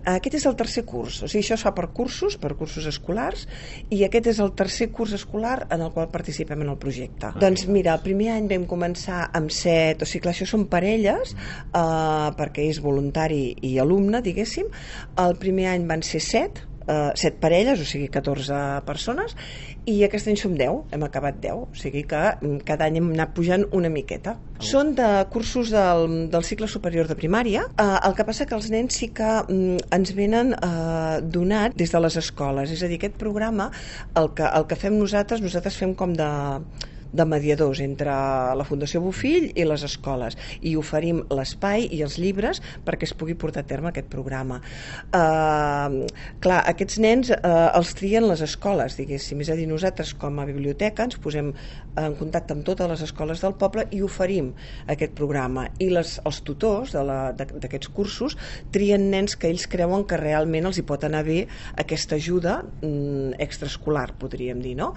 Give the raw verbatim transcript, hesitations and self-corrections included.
Aquest és el tercer curs, o sigui, això es fa per cursos, per cursos escolars, i aquest és el tercer curs escolar en el qual participem en el projecte. Ah, doncs mira, el primer any vam començar amb set, o sigui, clar, això són parelles, eh, perquè és voluntari i alumne, diguéssim. El primer any van ser set, Uh, set parelles, o sigui catorze persones, i aquest any som deu, hem acabat deu, o sigui que cada any hem anat pujant una miqueta. Oh. Són de cursos del, del cicle superior de primària, uh, el que passa que els nens sí que um, ens venen uh, donats des de les escoles, és a dir, aquest programa el que, el que fem nosaltres, nosaltres fem com de de mediadors entre la Fundació Bofill i les escoles, i oferim l'espai i els llibres perquè es pugui portar a terme aquest programa. Uh, clar, aquests nens uh, els trien les escoles, diguéssim, és a dir, nosaltres com a biblioteca ens posem en contacte amb totes les escoles del poble i oferim aquest programa, i les, els tutors d'aquests cursos trien nens que ells creuen que realment els hi pot anar bé aquesta ajuda mm, extraescolar, podríem dir, no?